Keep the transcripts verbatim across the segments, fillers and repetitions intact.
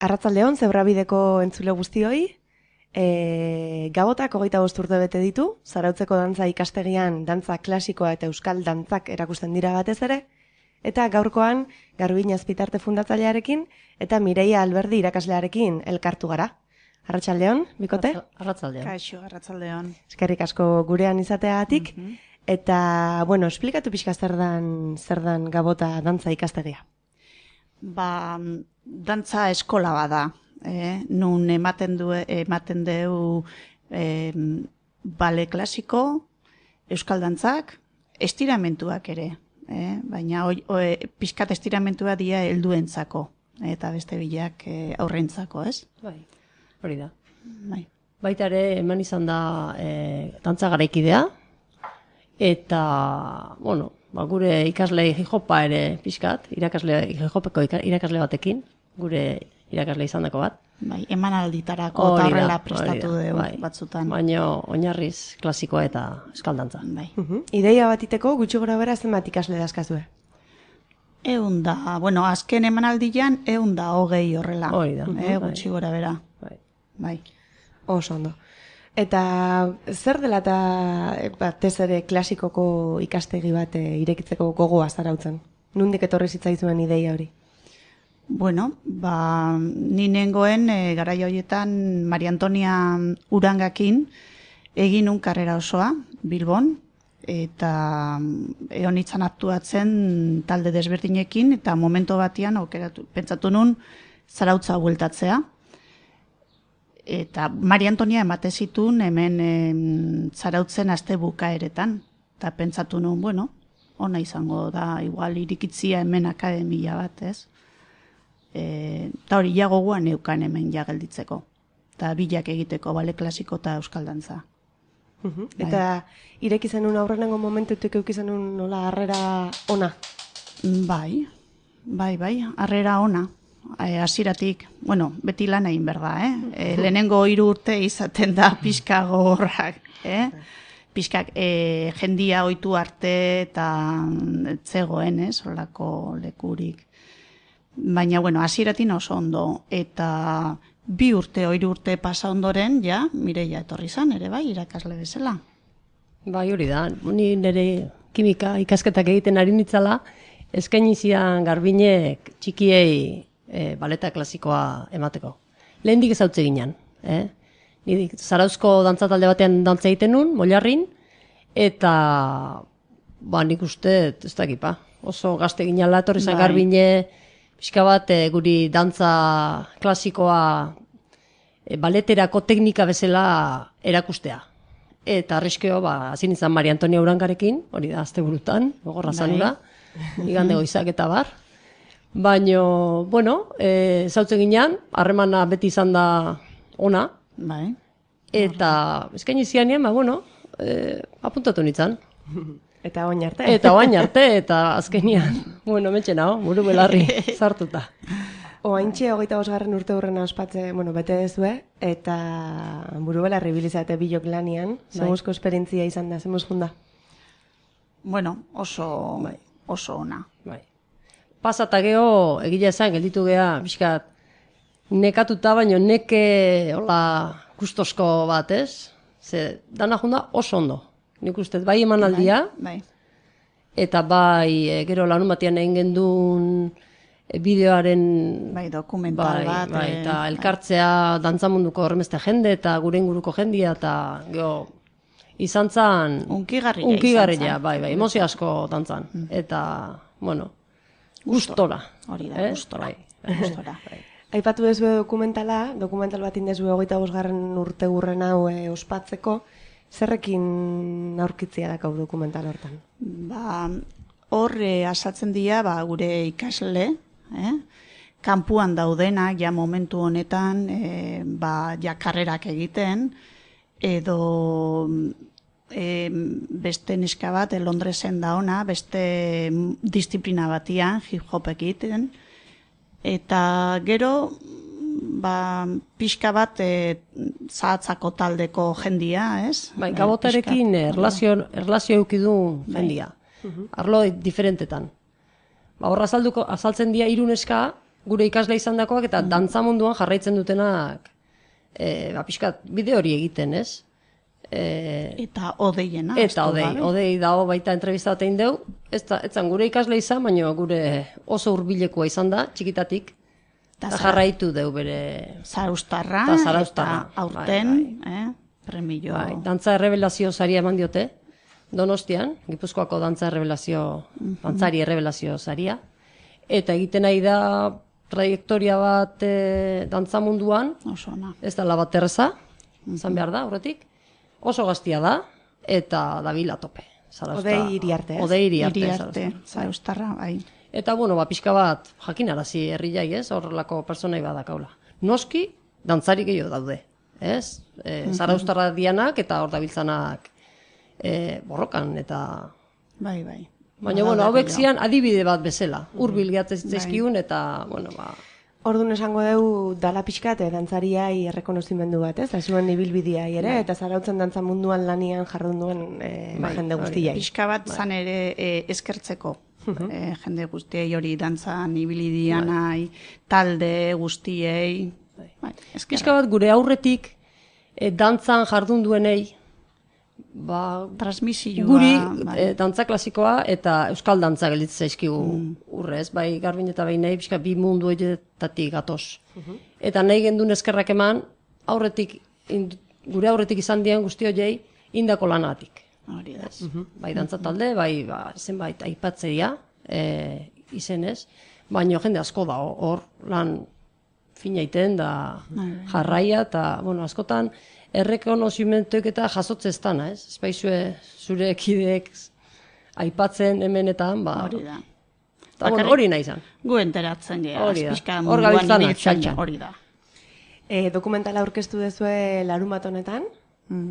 Arratsaldeon, Zebrabideko entzule guztioi, e, Gabotak hogeita bost urte bete ditu, Zarautzeko dantza ikastegian dantza klasikoa eta euskal dantzak erakusten dira batez ere, eta gaurkoan Garbin Azpitarte fundatzailearekin eta Mireia Alberdi irakaslearekin elkartu gara. Arratsaldeon, bikote? Arratsaldeon. Kaixo, arratsaldeon. Eskerrik asko gurean izateagatik, Mhm. eta, bueno, esplikatu pixka zer dan, zer dan Gabota dantza ikastegia. Ba, dantza eskola bada, eh? Nun ematen du ematen deu eh, bale klasiko, euskal dantzak, estiramentuak ere, eh? Baina oi, oi, pixkat estiramentua dira helduentzako eta beste bilak eh, aurrentzako, ez? Bai, hori da. Bai. Baita ere eman izan da e, dantza garaikidea, eta, bueno, ba, gure ikasle hijopa ere pixkat, irakasle, hijopeko irakasle batekin, gure irakasle izan dako bat. Bai, emanalditarako eta Hori da, horrela hori prestatu da, dugu bai. batzutan. Baina oinarriz klasikoa eta euskaldantza. Bai. Mhm. Ideia batiteko gutxi gora bera zenbat ikasle dazkazue? Eun da, bueno, azken emanaldian eun da hogei horrela. Hori da, Eh, bai. gutxi gora bera. Bai. Bai. Oso ondo. Eta zer dela eta batez ere klasikoko ikastegi bat e, irekitzeko gogoa Zarautzen? Nundik etorri zitzaizuen ideia hori? Bueno, ba, ni nengoen e, garai horietan Maria Antonia Urangakin egin un karrera osoa Bilbon, eta egon itzan aktuatzen talde desberdinekin, eta momento batean aukeratu, pentsatu nun Zarautza bueltatzea. Eta Maria Antonia emate zituen hemen em, Zarautzen aste bukaeretan. Eta pentsatu nun, bueno, ona izango da, igual irikitzia hemen akademia bat, ez? Eta hori ja gogoan neukan hemen ja gelditzeko. Eta bilak egiteko, bale klasiko eta euskal dantza. Mhm. Eta ireki zenun aurrenengo momentutik euki zenun nola harrera ona? Bai, bai, bai, harrera ona. Hasieratik, bueno, beti lan egin berda, eh? E, lehenengo hiru urte izaten da pixka gogorrak, eh? Pixkak e, jendia ohitu arte eta zegoen, ez, holako lekurik. Baina, bueno, hasieratik oso ondo, eta bi urte, hiru urte pasa ondoren, ja, Mireia etorri zan, ere bai, irakasle bezala. Bai, hori da. Ni nire kimika ikasketak egiten ari nitzala, eskaini zidan Garbinek txikiei e, baleta klasikoa emateko. Lehendik ezautze ginen. Eh? Ni Zarauzko dantza talde batean dantza egiten nun, Molarrin, eta ba, nik uste, ez dakipa, oso gazte ginala, etorri zan Bai. Garbine, pixka bat e, guri dantza klasikoa e, baleterako teknika bezala erakustea. Eta arriskeo, ba, hazin izan Maria Antonia Urangarekin, hori da, azte burutan, gogorra Bai. zanura, igande goizak eta bar. Baina, bueno, e, zautzen ginean, harremana beti izan da ona, Bai. eta eskaini zianean, ba, bueno, e, apuntatu nintzen. Eta oin arte? Eta oain arte, eta azkenian, bueno, mentxe nao, buru belarri sartuta. Oaintxe hogeita bosgarren urte hurrena ospatze, bueno, bete dezue, eta buru belarri bilizate bilok lanian, zemuzko esperientzia izan da, zemuz junda? Bueno, oso, Bai. oso ona. Bai. Pasata geho, egila esan, gelditu geha, pixkat, nekatuta, baino neke, hola, kustosko bat, ez? Ze, dana junda oso ondo. Nik uste, bai emanaldia, Bai. eta bai, e, gero larun batean egin gendun e, bideoaren Bai, dokumental bai, bat. bai, eh, eta elkartzea dantzamunduko horremeste jende eta gure inguruko jendia, eta gero izan zan Unkigarria unkigarria, izan zan. bai, bai, emozio asko dantzan. Eta, bueno, gustora. Hori da, eh? gustora. Bai. Gustora. Aipatu dezue dokumentala, dokumental bat indezue hogeita bosgarren urte hurren hau e, ospatzeko, zerrekin aurkitzia dakau dokumental hortan? Ba, hor eh, asaltzen dira ba, gure ikasle, eh? Kanpuan daudenak, ja momentu honetan, eh, ba, ja karrerak egiten, edo eh, beste neska bat, eh, Londresen da ona, beste disiplina batian, hip-hop egiten, eta gero, ba, pixka bat e, zahatzako taldeko jendia, ez? Bai, E, Gabotarekin pixkat, erlazio, erlazio eukidu jendia. Arlo diferentetan. Ba, horra azalduko, azaltzen dira hiru neska, gure ikasle izandakoak eta dantza munduan jarraitzen dutenak e, ba, pixkat bide hori egiten, ez? E, Eta odeiena. eta odei, odei dago baita entrevista bat egin deu, ez da, etzan gure ikasle izan, baina gure oso hurbilekoa izan da, txikitatik, eta jarraitu deu bere... Zaraustarra, Ta zaraustarra, eta aurten, bai, eh, premio. Bai, dantza errebelazio saria eman diote, Donostian, Gipuzkoako dantza errebelazio, dantzari errebelazio saria, eta egiten nahi da trajektoria bat e, dantza munduan, Oso ona. ez da bat erreza, izan behar da, horretik, oso gaztia da, eta dabil tope. Odei Iriarte, ez? Odei Iriarte, Iriarte, Zarauztar. zaraustarra, bai. Eta, bueno, ba, pixka bat, jakinarazi herriai, ez, horrelako personai badakaula. Noski, dantzari gehiago daude, ez? E, Zarauztarra dianak eta hor dabiltzanak e, borrokan, eta... Bai, bai. Baina, bueno, hauek zian adibide bat bezala. Hurbil gehatzen zitzaizkigun, eta, bueno, ba... Orduan esango dugu dala pixkat, eh, dantzariai errekonozimendu bat, ez? Da zuen ibilbideai ere, eta zarautzen dantza munduan lanian jardun duen eh, Bai, jende hori da. guztiai. Pixka bat zan ere e, eskertzeko. E, jende guztiei hori dantzan ibili dianai, talde guztiei. Bai, eskerrak. Pixka bat gure aurretik e, dantzan jardun duenei, ba, Transmisioa. guri bai. e, dantza klasikoa eta euskal dantza gelditzen zaizkigu urrez, bai Garbin eta bai nahi, pixka bi mundu horietatik gatoz. Eta nahi gendun eskerrak eman, aurretik, ind- gure aurretik izan dian guzti horiei indako lanatik. Hori da. Bai dantza talde, bai ba, zenbait aipatzeia e, izenez, baina jende asko da hor lan fina iten da jarraia, eta bueno, askotan errekonozimentuek eta jasotzeztana, ez? Espaizue zure kideek aipatzen hemenetan, ba, Hori da. eta bueno, Bakarrik- hori nahi izan. Gu enteratzen geha. Hori da. Pixka Hor munduan gabiltzana, ibiltzen, txantxan. hori da. E, dokumentala aurkeztu dezue larun bat honetan,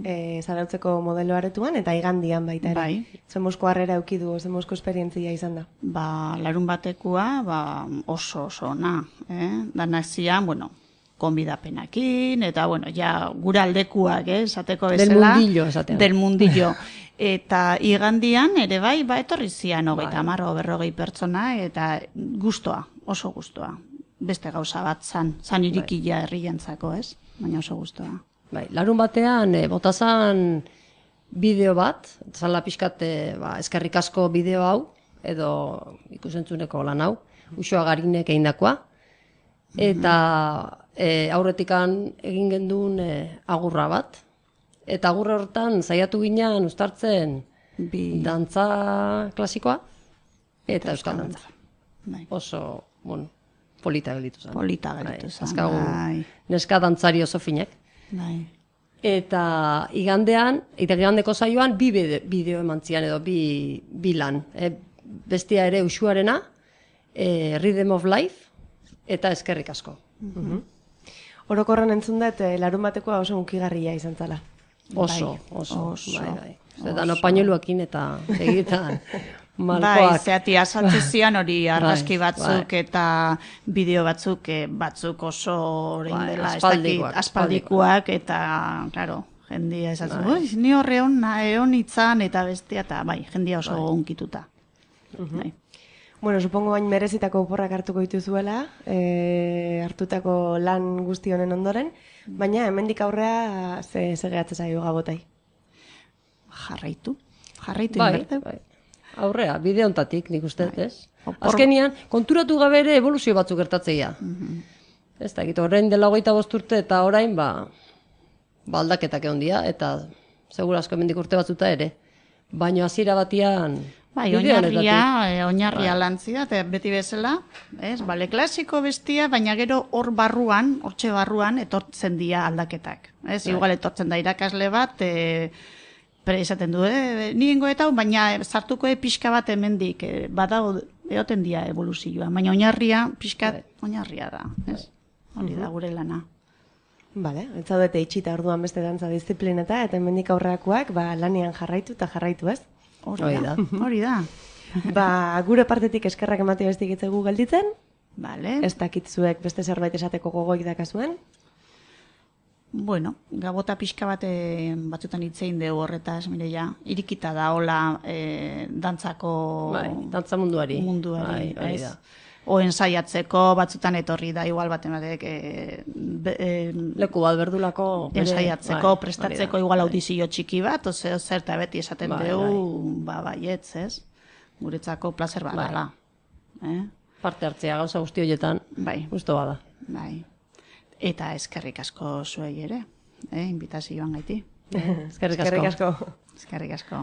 e, zarautzeko modelo aretuan, eta igandian baita ere. Bai. Zemosko harrera eukidu, zemosko esperientzia izan da. Ba, larun batekua, ba, oso oso ona, eh? Danak zian, bueno, konbidapenakin, eta, bueno, ja, gure aldekuak, eh, esateko Del bezala. mundillo, esatean. Del mundillo. Eta igandian, ere bai, ba, etorri zian, hogeita Bai. hamar, o berrogei pertsona, eta gustoa, oso gustoa. Beste gauza bat zan, zan irikila herrientzako, ez? Baina oso gustoa. Bai, larun batean e, botazan bideo bat, zala pixkat e, ba, eskerrik asko bideo hau, edo ikusentzuneko lan hau, Uxoa Garinek egindakoa, eta e, aurretikan egin genduen e, agurra bat, eta agurra hortan saiatu ginean uztartzen Bi... dantza klasikoa eta euskal dantza. Bai. Oso, bueno, polita gelditu zen. Polita gelditu Bai, zen, azkagu bai. neska dantzari oso finek. Bai. Eta igandean, eta igandeko saioan, bi bide- bideo eman zian edo bi, bi lan. E, bestia ere Uxuarena, e, Rhythm of Life, eta eskerrik asko. Orokorren entzun dut, eh, larun batekoa oso unkigarria izan zala. Oso, Bai, oso, oso, bai, bai. Eta no pañueluekin eta egitan Bai, malkoak. zeati azaltze zian hori argazki Bai, batzuk eta bideo batzuk, eh, batzuk oso orain Bai, dela, ez aspaldikoak, dakit, aspaldikoak, eta, claro, jendia esatzen, bai. Ni horre hon, egon itzan, eta bestia, eta bai, jendia oso unkituta. Bai. Bueno, supongo bain merezitako oporrak hartuko dituzuela, e, hartutako lan guzti honen ondoren, baina hemendik aurrea ze, ze gehatzen zaio gabotai. Jarraitu, jarraitu Bai, inberte. bai. Aurrea, bide hontatik, nik uste, ez? Opor- Azkenian, konturatu gabe ere evoluzio batzuk gertatzeia. Ez da, gitu, orain dela hogeita bost urte eta orain, ba, ba aldaketak egon dira, eta segura asko hemendik urte batzuta ere. Baina hasiera batian... Bai, bide oinarria, honetatik. eh, oinarria lantzia, eta beti bezala, ez, bale klasiko bestia, baina gero hor barruan, hortxe barruan, etortzen dira aldaketak. Ez, igual etortzen da irakasle bat, e, pre esaten du, eh, niengo eta, baina sartuko e pixka bat hemendik, e, badago, eoten dira evoluzioa, baina oinarria, pixka, oinarria da, ez, hori da gure lana. Bale, ez zaudete itxita orduan beste dantza disiplineta, eta hemendik aurrerakoak ba, lanean jarraitu eta jarraitu, ez? Hori Hori da, da. hori da. Ba, gure partetik eskerrak ematea bestik itzegu gelditzen, Vale. ez dakitzuek beste zerbait esateko gogoik dakazuen. Bueno, gabota pixka bat eh, batzutan hitzein dugu horretaz, Mireia, irikita da hola eh, dantzako Bai, dantza munduari. munduari, Bai, hori ez? da. o ensaiatzeko batzutan etorri da, igual baten batek e, be, e, Leku bat berdulako. bere- ensaiatzeko, bai, prestatzeko hori da, igual bai. audizio txiki bat, oze, zer eta beti esaten Bai, dugu, ba, baietz, ez? Guretzako placer badala. Eh? Parte hartzea gauza guzti horietan, Bai, gusto bada. bai. Eta eskerrik asko zuei ere, eh? Invitazioan gaiti. Eskerrik asko. Eskerrik asko. Eskerrik asko.